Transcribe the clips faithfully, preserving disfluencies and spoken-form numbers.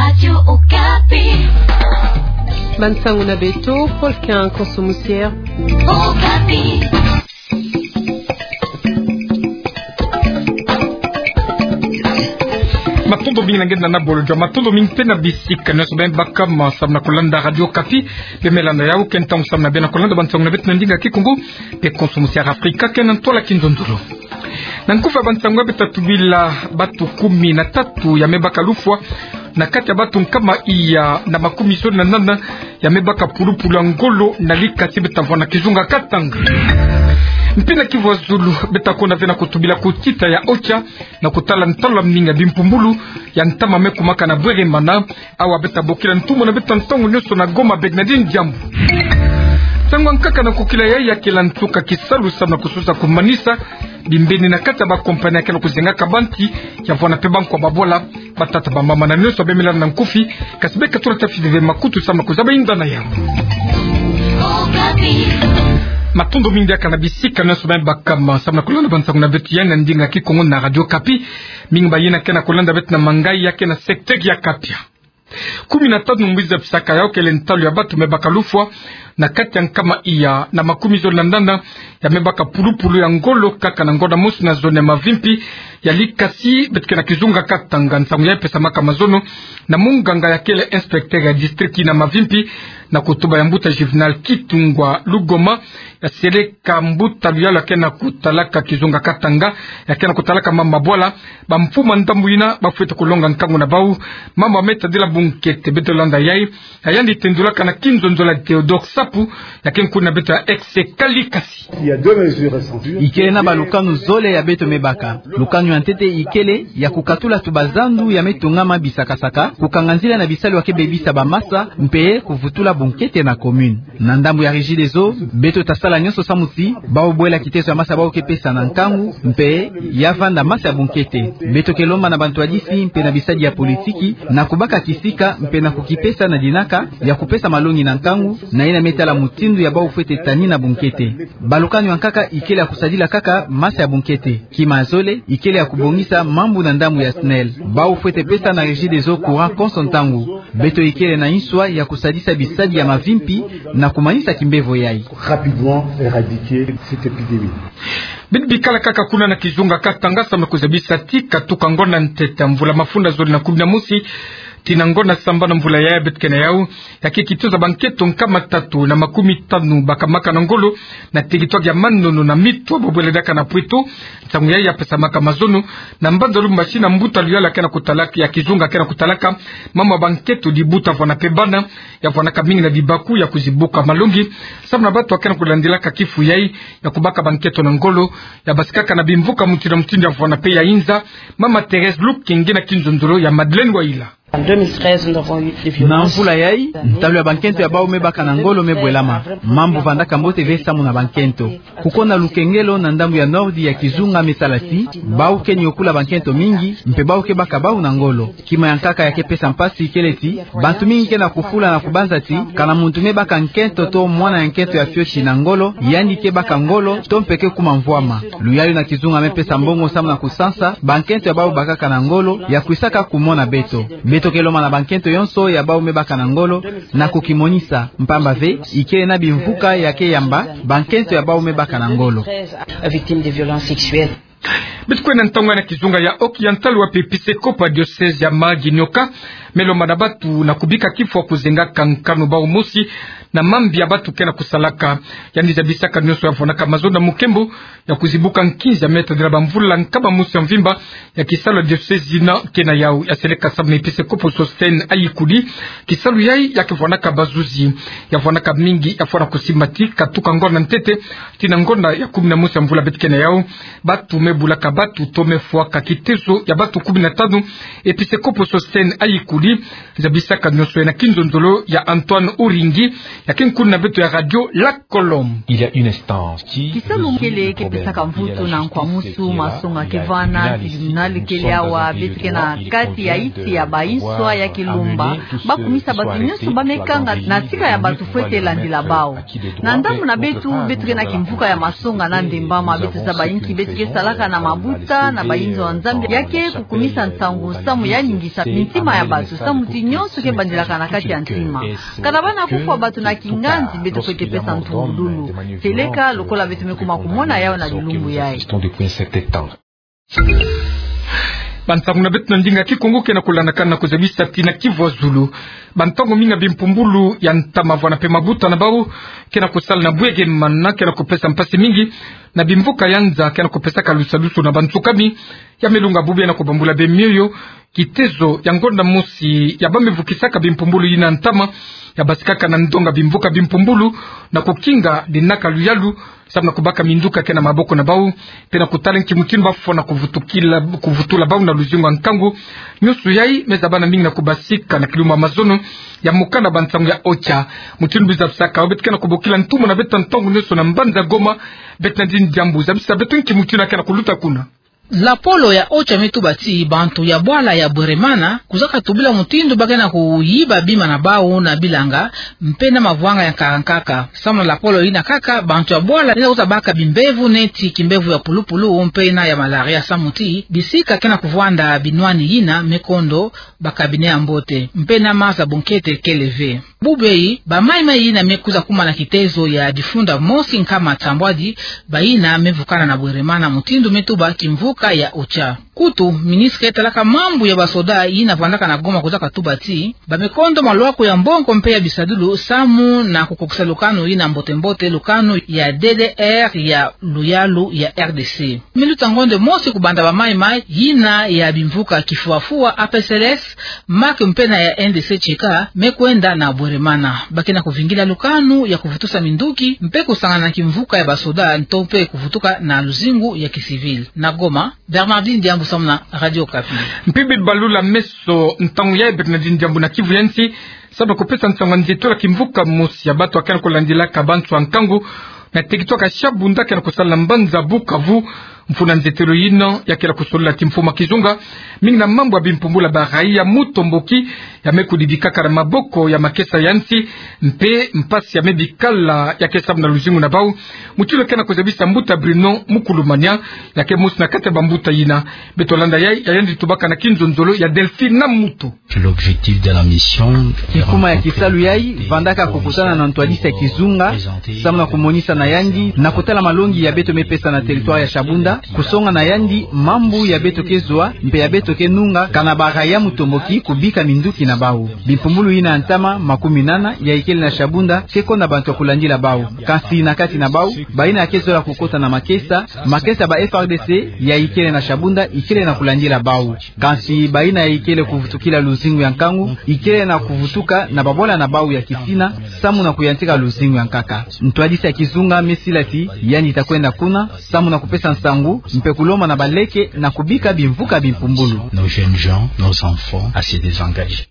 Radio Okapi. Bansango na beto, Paul Kin Konso Musier. Okapi. Matondo mingi na nge na bolo jua, matondo mingi mpe na bisika nyonso beno baka ma samu na kulanda Radio Okapi. Beno me landa yawu ke ntangu samu na beno kulanda bansango na beto na ndinga Kikongo mpe Konso Musier Afrika ke na ntwala kinzonzolo. Na nkufi ya bansango ya beto, tubila batu kumi na tatu ya me baka lufwa na kati ya batu nkama iya na makumi zole na nana ya me baka pulupulu ya ngolo na likasi beto vwa na kizunga Katanga. Mpe na Kivu ya Zulu, beto kwenda ve na kutubila kutita ya OCHA na kutala ntalu ya mininga bimpumbulu ya ntama me kumaka na Bweremana. Awa beto bokila ntumwa na beto ntangu nyonso na Goma, Bernardine Diambu. Nsango ya nkaka na kukila yayi ya kela nsuka kisalu samu na kusosa kumanisa bimbeni na kati ya ba compagnie ya ke na kuzengaka banti, ya vwa na mpe bankwa babwala, batata, bamama na nyonso beno me landa na nkufi, kasi beka tula tafi veve makutu samu na kuzaba inda na yawu. Matondo mingi diaka na bisika nyonso beno baka ma samu na kulanda bansango na beto ya na ndinga Kikongo na Radio Okapi. Mingi bayina ke na kulanda beto na Mangayi ya ke na secteur ya Kapia. Kumi na tanu mbizi ya bisaka yawu kele ntalu ya batu me baka lufwa na kati ya nkama iya na makumi zole na nana ya me baka pulupulu ya ngolo kaka na ngonda mosi na zone ya Mavimpi ya likasi beto ke na kizunga Katanga. Nsangu yayi pesamaka mazono na munganga ya kele inspecteur ya district na Mavimpi, na kutuba ya mbuta Juvenal Kitungwa Lugoma, ya seleka mbuta luyalu ya ke na kutalaka kizunga Katanga, ya ke na kutalaka mama bwala, bamfumu ya ndambu yina bafwete kulonga nkangu na bawu, mama me tadila bunkete. Beto landa yayi, ya yandi tendulaka na kinzonzolo ya Theodore Sapu, ya ke nkuni na beto ya Ex Kalikasi. Ikele na balukanu zole ya beto me baka. Lukanu ya ntete ikele ya kukatula tubazandu ya me tongama bisakasaka, kukanga nzila na bisalu ya ke bebisa bamasa, mpe kuvutula bunkete na commune. Na ndambu ya Regideso, beto tasala nyonso samu ti bawu bwela kiteso ya masa bawu ke pesa na nkangu, mpe ya vanda masa ya bunkete. Beto ke lomba na bantwadisi mpe na bisadi ya politiki na kubaka kisika mpe na kukipesa na dinaka ya kupesa malongi na nkangu, na yina me tala mutindu ya bawu fwete tanina bunkete. Balukanu ya nkaka ikele ya kusadila kaka masa ya bunkete. Kima ya zole ikele ya kubongisa mambu na ndambu ya SNEL. Bawu fwete pesa na Regideso courant konso ntangu. Beto ikele na nswa ya kusadisa bisadi ya Mavimpi na kumanisa kimbevo yayi. Rapidement éradiquer cette épidémie. Beto bikala kaka kuna na kizunga Katanga samu na kuzabisa ti katuka ngonda ntete ya mvula mafunda zole na kumi na mosi tii na ngonda sambanu ya mvula yayi beto ke na yawu, ya ke kituza bankento nkama tatu na makumi tanu bakamaka na ngolo na territoire ya Manono na Mitwa, ba bwele diaka na Pweto. Nsangu yayi ya pesamaka mazono na mbanza Lubumbashi na mbuta luyalu ya ke na kutalaka, ya kizunga ke na kutalaka mama bankento, dibuta vwa na mpe bana, ya vwanaka mingi na bibaku ya kuzibuka malongi samu na batu ya ke na kulandilaka kifu yayi ya kubaka bankento na ngolo, ya basikaka na bimvuka mutindu na mutindu ya vwa na mpe ya inza. Mama Thérèse Lukenge na kinzonzolo ya Madeleine Wayila. En deux mille treize, nous avons eu des violences. Na mvula yayi, ntalu ya bankento ya bawu me baka na ngolo me bwelama. Mambu vandaka mbote ve samu na bankento. Kuko na lukengelo na ndambu ya nordi ya kizunga me sala ti bawu ke nyokula bankento mingi, mpe bawu ke baka bawu na ngolo. Kima ya nkaka ya ke pesa mpasi kele ti bantu mingi ke na kufula na kubanza ti kana muntu me baka nkento to mwana ya nkento ya fioti na ngolo, yandi ke baka ngolo to mpe ke kuma mvwama. Luyalu na kizunga me pesa mbongo samu na kusansa bankento ya bawu bakaka na ngolo ya kwisaka kumona beto. Beto ke lomba na bankento yonso ya bawu me baka na ngolo na kukimonisa, mpamba ve ikele na bimvuka ya ke yamba bankento ya bawu me baka na ngolo. Victimes de violences sexuelles. Beto kwenda ntangu na kizunga ya Oki, ya ntalu wapi episekopo ya diocèse ya Mahagi Nyoka me lomba na batu na kubika kifu ya kuzengaka nkanu bawu mosi na mambi ya batu ke na kusalaka. Yandi zabisaka nyonso ya vwanaka mazono na mukembo ya kuzibuka nkinzi ya me tadila bamvula nkama mosi ya mvimba ya kisalu ya diocèse yina ke na yawu. Ya seleka samu na episekopo Sosthène Ayikuli, kisalu yayi ya ke vwanaka bazuzi, ya vwanaka mingi, ya vwana kusimba ti katuka ngonda ntete tii na ngonda ya kumi na mosi ya mvula beto ke na yawu, batu me bulaka batu to me fwaka kiteso ya batu kumi na tanu. Episekopo Sosthène Ayikuli zabisaka nyonso yayi na kinzonzolo ya Antoine Uringi, ya ke nkuni na beto ya radio Lac Colombe. Kisalu kele ke pesaka mvutu na nkwamusu, masonga ke vana, tribunal kele awa, beto ke na kati ya iti ya bainswa ya ke lomba ba kumisa batu nyonso ba me kanga na tika ya batu fwete landila bawu. Na ndambu na beto, beto ke na kimvuka ya masonga na ndembama, beto zaba inki beto ke salaka na mabuta na bayinzo ya Nzambi ya ke kukumisa nsangu samu ya ningisa mintima ya batu. Samu ti nyonso ke bandilaka na kati ya ntima. Kana bana kufwa bato na kinganzi, beto fwete pesa ntungululu. Seleka lokola beto me kuma kumona yawu na bilumbu yayi. Bansangu na beto na ndinga Kikongo ke na kulandakana na kuzabisa ti na Kivu ya Zulu, bantangu mingi bimpumbulu ya ntama vwanda mpe mabuta na bawu ke na kusala na bwegemana ke na kupesa mpasi mingi na bimvuka ya nza ke na kupesaka lusadusu na bansukami. Ya me lunga bubu ya na kubambula be mioyo. Kitezo ya ngonda mosi ya ba me vukisaka bimpumbulu yina ntama ya basikaka na ndonga bimvuka bimpumbulu na kukinga dinaka luyalu, samu na kubaka minduka ke na maboko na bawu, mpe na kutala nki mutindu ba fwana kuvutukila, kuvutula bawu na luzingu ya nkangu. Nyonso yayi me zabana mingi na kubasika na kiluma mazono ya mokanda bansangu ya OCHA. Mutindu biza bisaka, beto ke na kubokila ntumwa na beto ntangu nyonso na mbanza Goma, Bernardine Diambu, zabisa beto nki mutindu ya ke na kuluta kuna. Lapolo ya OCHA me tuba ti bantu ya bwala ya Bweremana kuzaka tubila mutindu ba ke na kuyiba bima na bawu na bilanga mpe na mavwanga ya nkaka nkaka. Samu na lapolo yina kaka, bantu ya bwala yina kwiza baka bimbevo neti kimbevo ya pulupulu mpe na ya malaria, samu ti bisika ke na kuvwanda binwani yina me kondo ba cabinet ya mbote, mpe na maza bonkete kele ve. Bubu yayi, ba mayi-mayi yina me kwiza kuma na kitezo ya difunda mosi nkama nsambwadi, bayina me vukana na Bweremana, mutindu me tuba kimvuka ya OCHA. Kutu, ministre ke talaka mambu ya basoda yina vwandaka na Goma kuzaka tuba ti ba me kondo malwaku ya mbongo mpe ya bisadulu samu na kukokisa lukanu yina mbote-mbote, lukanu ya D D R ya luyalu ya R D C. Minuta ngonde mosi kubanda ba mayi-mayi yina ya bimvuka Kifua-fua, A P C L S, MAC mpe na ya N D C Cheka me kwenda na Bweremana. Ba ke na kuvingila lukanu ya kuvutusa minduki mpe kusangana na kimvuka ya basoda nto mpe kuvutuka na luzingu ya kisivil. Na Goma, Bernardine Diambu samu na Radio Okapi. Mpe bibalula meso, ntangu yayi Bernardine Diambu na Kivu ya Nsi, samu na kupesa nsangu ya nzietolo ya kimvuka mosi ya bato ya ke na kulandilaka bantu ya nkangu na teritware ya Shabunda ke na kusala na mbanza Bukavu. Mfunu ya nzietolo yina ya ke na kusolila ti mfumu ya kizunga mingi na mambu ya bimpumbulu ya ba raia mutomboki ya me kudidikaka na maboko ya makesa ya nsi, mpe mpasi ya me bikala ya ke samu na luzingu na bawu. Mutindu ya ke na kuzabisa mbuta Bruno Mukulumania, ya ke mosi na kati ya bambuta yina. Beto landa yayi, ya yandi tubaka na kinzonzolo ya Delphine Namuto. L'objectif de la mission, kikuma ya kisalu yayi vandaka kukutana na ntwadisi ya kizunga, samu na kumonisa na yandi na kutala malongi ya beto me pesa na teritware ya Shabunda, kusonga na yandi mambu ya beto ke zwa mpe ya beto ke nunga kana ba raia mutomboki kubika minduki na bawu. Bimpumbulu yina ya ntama makuminana ya ikele na Shabunda ke konda bantu ya kulandila bawu. Kansi na kati na bawu, bayina ya ke zola kukota na makesa, makesa ya ba F A R D C ya ikele na Shabunda ikele na kulandila bawu. Kansi bayina ya ikele kuvutukila luzingu ya nkangu ikele na kuvutuka na babwala na bawu ya kisina, samu na kuyantika luzingu ya nkaka. Ntwadisi ya kizunga me sila ti yandi ta kwenda kuna samu na kupesa nsangu mpe kulomba na baleke na kubika bimvuka bimpumbulu. Nos jeunes gens, nos enfants à se désengager.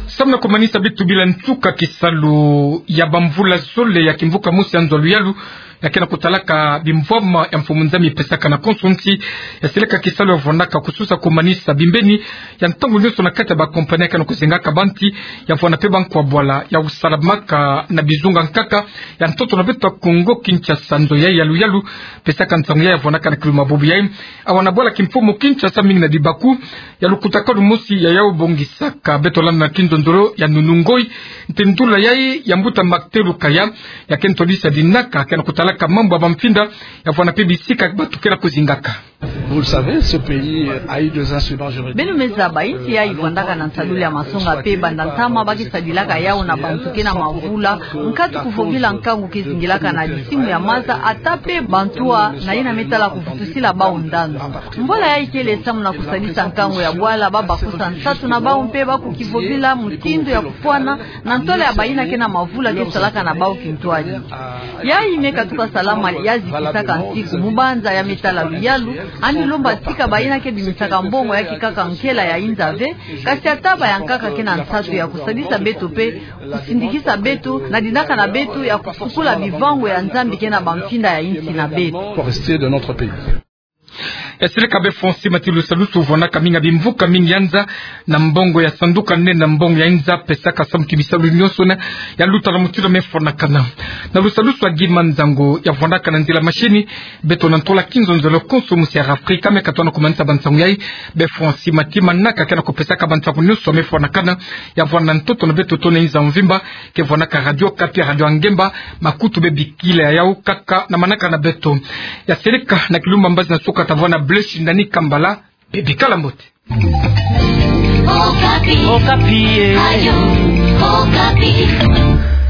Samu na kumanisa beto bila nsuka kisalu ya bamvula zole ya kimvuka mosi ya nzo ya luyalu, ya ke na kutalaka bimvwama ya Mfumu Nzambi pesaka na konso nsi, ya silaka kisalu ya vwandaka kususa kumanisa bimbeni ya ntangu nyonso na kati ya ba compagnie ya ke na kuzengaka banti, ya vwanda mpe bankwa bwala ya kusalamaka na bizunga nkaka ya ntoto na beto ya Kongo Kinshasa. Nzo yayi ya luyalu pesaka nsangu yayi ya vwandaka na kiluma bubu yayi awa na bwala kimfumu Kinshasa mingi na dibaku ya lukutakanu mosi ya yawu bongisaka. Beto landa na kinzonzolo ya Nunu Ngoyi, ntindula yayi ya mbuta Martin Lukaya, ya ke ntwadisi ya dinaka ke na kutalaka mambu ya bamfinda, ya vwanda mpe bisika bato ke na kuzingaka. Vous le savez, ce pays a eu des incidents juridiques. Beno me zaba, insi yayi vwandaka na nsadulu ya masonga mpe banda ntama ba ke sadilaka yawu na bantu ke na mavula, nkatu kuvovila nkangu ke zingilaka na disimu ya maza, ata mpe bantu ya na yina me tala kuvutusila bawu ndandu. Mbola yayi kele samu na kusadisa nkangu ya bwala, ba bakusa nsatu na bawu mpe ba kukivovila mutindu ya kufwana na ntwala ya bayina ke na mavula ke salaka na bawu kintwadi. Yayi me katuka salama, ya zikisaka nsiku, mubanza ya me tala luyalu, yandi lomba tika bayina ke bimisaka mbongo ya kikaka nkela ya inza ve, kasi ata ba ya nkaka ke na nsatu ya kusadisa beto mpe kusindikisa beto na dinaka na beto ya kufukula bivangu ya Nzambi ke na bamfinda ya insi na beto. Forestier de notre pays. Ya seleka be Francis Mati, lusalusu vwanaka mingi ya bimvuka mingi ya nza na mbongo ya sanduka nene na mbongo ya nza, pesaka samu ti bisalu nyonso na ya luta na mutindu me fwanakana. Na lusalusu ya Guy Manzango ya vwanaka na nzila mashini, beto na ntola kinzonzolo konso musi ya Afrika me katona kumanisa bansangu yai. Be Francis Mati manaka ke na kupesaka bansangu nyonso me fwanakana, ya vwana ntoto na beto tona nza mvimba, ke vwanaka Radio Okapi, Radio Ngemba, makutu be bikila ya yau kaka na manaka na beto. Ya seleka na kilumbu mbazi na suka ta vwana Blaise Shindani Kambala, be bikala mbote. Okapi. Okapi, eh. Radio Okapi.